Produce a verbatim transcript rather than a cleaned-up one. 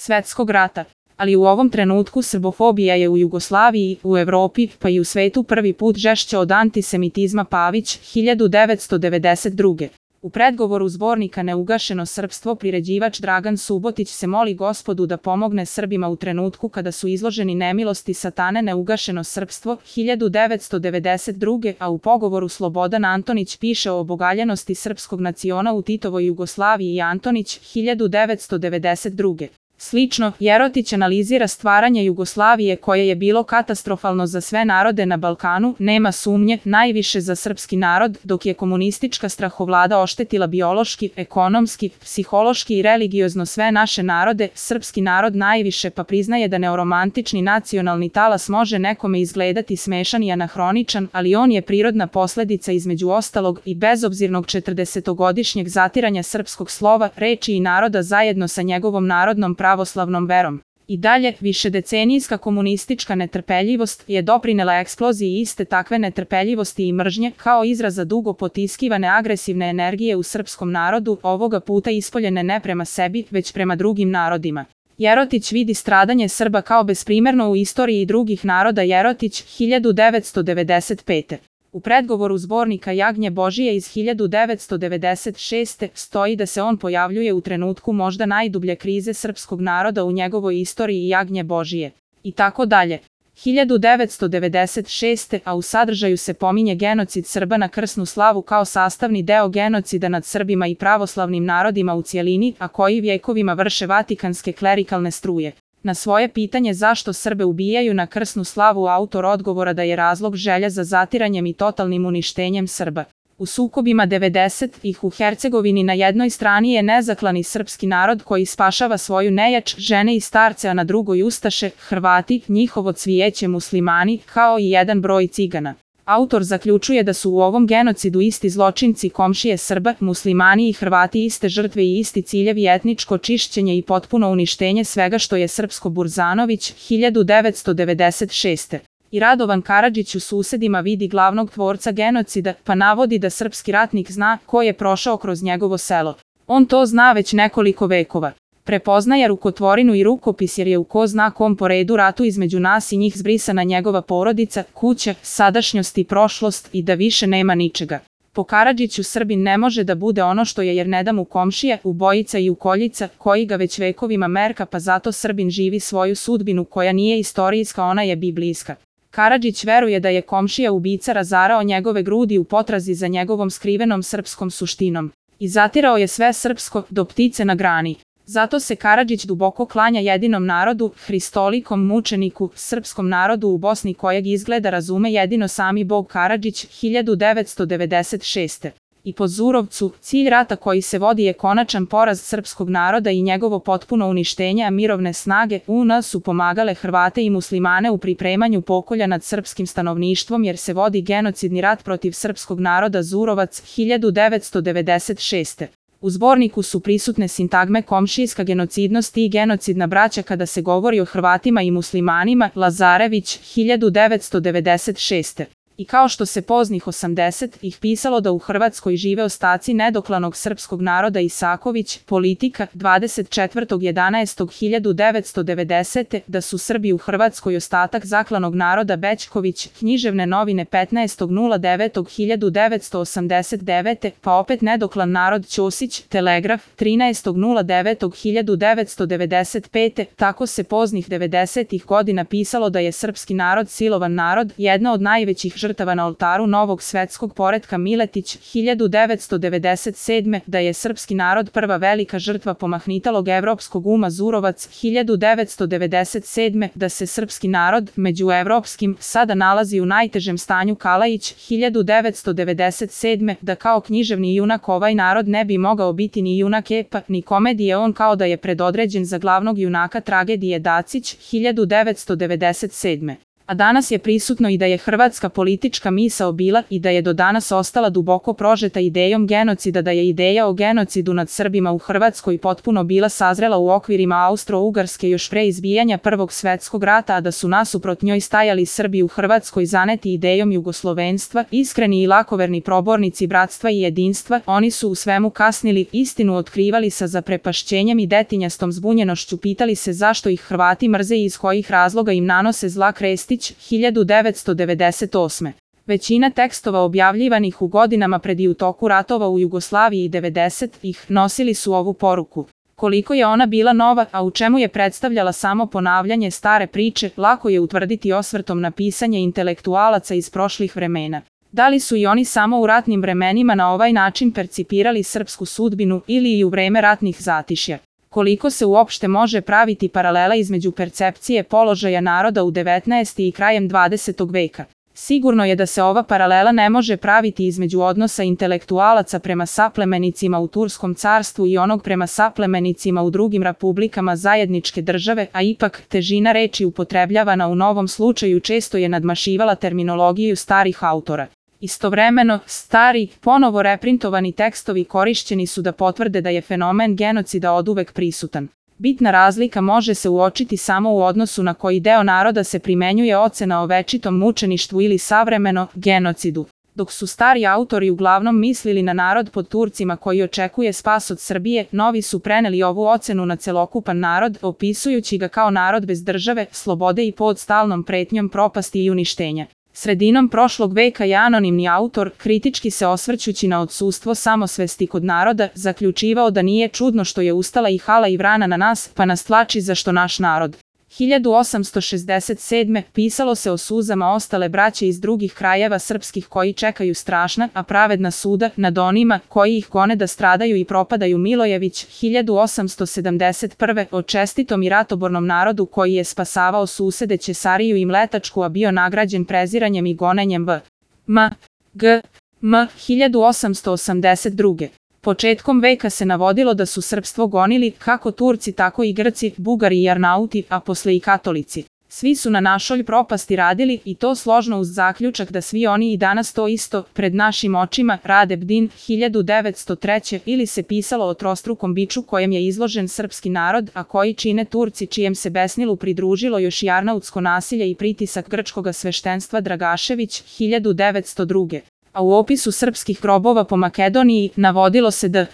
svetskog rata. Ali u ovom trenutku srbofobija je u Jugoslaviji, u Evropi, pa i u svetu prvi put žešća od antisemitizma. Pavić, hiljadu devetsto devedeset druge. U predgovoru zbornika Neugašeno srpstvo priređivač Dragan Subotić se moli Gospodu da pomogne Srbima u trenutku kada su izloženi nemilosti satane. Neugašeno srpstvo, hiljadu devetsto devedeset druge. A u pogovoru Slobodan Antonić piše o obogaljenosti srpskog naciona u Titovoj Jugoslaviji i Antonić, hiljadu devetsto devedeset druge. Slično, Jerotić analizira stvaranje Jugoslavije koje je bilo katastrofalno za sve narode na Balkanu, nema sumnje, najviše za srpski narod, dok je komunistička strahovlada oštetila biološki, ekonomski, psihološki i religiozno sve naše narode, srpski narod najviše, pa priznaje da neoromantični nacionalni talas može nekome izgledati smešan i anahroničan, ali on je prirodna posledica između ostalog i bezobzirnog četrdesetogodišnjeg zatiranja srpskog slova, reči i naroda zajedno sa njegovom narodnom pravoslavnom verom. I dalje, višedecenijska komunistička netrpeljivost je doprinela eksploziji iste takve netrpeljivosti i mržnje, kao izraza dugo potiskivane agresivne energije u srpskom narodu, ovoga puta ispoljene ne prema sebi, već prema drugim narodima. Jerotić vidi stradanje Srba kao besprimerno u istoriji drugih naroda. Jerotić, hiljadu devetsto devedeset pete. U predgovoru zbornika Jagnje Božije iz hiljadu devetsto devedeset šeste. stoji da se on pojavljuje u trenutku možda najdublje krize srpskog naroda u njegovoj istoriji. Jagnje Božije. I tako dalje. hiljadu devetsto devedeset šeste. A u sadržaju se pominje genocid Srba na krsnu slavu kao sastavni deo genocida nad Srbima i pravoslavnim narodima u cijelini, a koji vjekovima vrše vatikanske klerikalne struje. Na svoje pitanje zašto Srbe ubijaju na krsnu slavu autor odgovora da je razlog želja za zatiranjem i totalnim uništenjem Srba. U sukobima devedesetih u Hercegovini na jednoj strani je nezaklani srpski narod koji spašava svoju nejač, žene i starce, a na drugoj ustaše, Hrvati, njihovo cvijeće muslimani, kao i jedan broj cigana. Autor zaključuje da su u ovom genocidu isti zločinci komšije Srba, muslimani i Hrvati iste žrtve i isti ciljevi, etničko čišćenje i potpuno uništenje svega što je srpsko. Burzanović, hiljadu devetsto devedeset šeste. I Radovan Karadžić u Susedima vidi glavnog tvorca genocida, pa navodi da srpski ratnik zna ko je prošao kroz njegovo selo. On to zna već nekoliko vekova. Prepoznaje rukotvorinu i rukopis jer je u ko zna kom poredu ratu između nas i njih zbrisana njegova porodica, kuća, sadašnjost i prošlost i da više nema ničega. Po Karadžiću Srbin ne može da bude ono što je jer ne da mu komšija, ubojica i ukoljica, koji ga već vekovima merka, pa zato Srbin živi svoju sudbinu koja nije istorijska, ona je biblijska. Karadžić veruje da je komšija ubica razarao njegove grudi u potrazi za njegovom skrivenom srpskom suštinom. I zatirao je sve srpsko, do ptice na grani. Zato se Karadžić duboko klanja jedinom narodu, hristolikom mučeniku, srpskom narodu u Bosni kojeg izgleda razume jedino sami Bog. Karadžić, hiljadu devetsto devedeset šeste. I po Zurovcu, cilj rata koji se vodi je konačan poraz srpskog naroda i njegovo potpuno uništenje, a mirovne snage U N su pomagale Hrvate i muslimane u pripremanju pokolja nad srpskim stanovništvom jer se vodi genocidni rat protiv srpskog naroda. Zurovac, hiljadu devetsto devedeset šeste. U zborniku su prisutne sintagme komšijska genocidnost i genocidna braća kada se govori o Hrvatima i muslimanima. Lazarević, hiljadu devetsto devedeset šeste. I kao što se poznih osamdesetih pisalo da u Hrvatskoj žive ostaci nedoklanog srpskog naroda. Isaković, Politika, dvadeset četvrtog jedanaestog hiljadu devetsto devedesete. Da su Srbi u Hrvatskoj ostatak zaklanog naroda. Bećković, Književne novine, petnaestog devetog hiljadu devetsto osamdeset devete. Pa opet nedoklan narod. Ćosić, Telegraf, trinaestog devetog hiljadu devetsto devedeset pete. Tako se poznih devedesetih godina pisalo da je srpski narod silovan narod, jedna od najvećih žrtava na oltaru novog svetskog poretka. Miletić, hiljadu devetsto devedeset sedme. Da je srpski narod prva velika žrtva pomahnitalog evropskog uma. Zurovac, hiljadu devetsto devedeset sedme. Da se srpski narod, među evropskim, sada nalazi u najtežem stanju. Kalajić, hiljadu devetsto devedeset sedme. Da kao književni junak ovaj narod ne bi mogao biti ni junak epa, ni komedije, on kao da je predodređen za glavnog junaka tragedije. Dacić, hiljadu devetsto devedeset sedme. A danas je prisutno i da je hrvatska politička misao bila i da je do danas ostala duboko prožeta idejom genocida, da je ideja o genocidu nad Srbima u Hrvatskoj potpuno bila sazrela u okvirima Austro-Ugarske još pre izbijanja Prvog svetskog rata, a da su nasuprot njoj stajali Srbi u Hrvatskoj zaneti idejom jugoslovenstva, iskreni i lakoverni probornici bratstva i jedinstva. Oni su u svemu kasnili, istinu otkrivali sa zaprepašćenjem i detinjastom zbunjenošću, pitali se zašto ih Hrvati mrze i iz kojih razloga im nanose zla. Krestić, hiljadu devetsto devedeset osme. Većina tekstova objavljivanih u godinama pred i u toku ratova u Jugoslaviji i devedesetih nosili su ovu poruku. Koliko je ona bila nova, a u čemu je predstavljala samo ponavljanje stare priče, lako je utvrditi osvrtom na pisanje intelektualaca iz prošlih vremena. Da li su i oni samo u ratnim vremenima na ovaj način percipirali srpsku sudbinu ili i u vreme ratnih zatišja? Koliko se uopšte može praviti paralela između percepcije položaja naroda u devetnaestom i krajem dvadesetog veka? Sigurno je da se ova paralela ne može praviti između odnosa intelektualaca prema saplemenicima u Turskom carstvu i onog prema saplemenicima u drugim republikama zajedničke države, a ipak težina reči upotrebljavana u novom slučaju često je nadmašivala terminologiju starih autora. Istovremeno, stari, ponovo reprintovani tekstovi korišćeni su da potvrde da je fenomen genocida oduvek prisutan. Bitna razlika može se uočiti samo u odnosu na koji deo naroda se primenjuje ocena o večitom mučeništvu ili savremeno genocidu. Dok su stari autori uglavnom mislili na narod pod Turcima koji očekuje spas od Srbije, novi su preneli ovu ocenu na celokupan narod, opisujući ga kao narod bez države, slobode i pod stalnom pretnjom propasti i uništenja. Sredinom prošlog veka je anonimni autor, kritički se osvrćući na odsustvo samosvesti kod naroda, zaključivao da nije čudno što je ustala i hala i vrana na nas, pa nas tlači zašto naš narod. hiljadu osamsto šezdeset sedme. pisalo se o suzama ostale braće iz drugih krajeva srpskih koji čekaju strašna, a pravedna suda nad onima koji ih gone da stradaju i propadaju. Milojević, hiljadu osamsto sedamdeset prve. o čestitom i ratobornom narodu koji je spasavao susede Ćesariju i Mletačku, a bio nagrađen preziranjem i gonenjem v. M. G. M. hiljadu osamsto osamdeset druge. Početkom veka se navodilo da su srpstvo gonili kako Turci tako i Grci, Bugari i Arnauti, a posle i katolici. Svi su na našoj propasti radili i to složno uz zaključak da svi oni i danas to isto, pred našim očima, rade. Bdin, hiljadu devetsto treće. ili se pisalo o trostrukom biču kojem je izložen srpski narod, a koji čine Turci, čijem se besnilu pridružilo još i arnautsko nasilje i pritisak grčkoga sveštenstva. Dragašević, hiljadu devetsto druge. A u opisu srpskih grobova po Makedoniji navodilo se da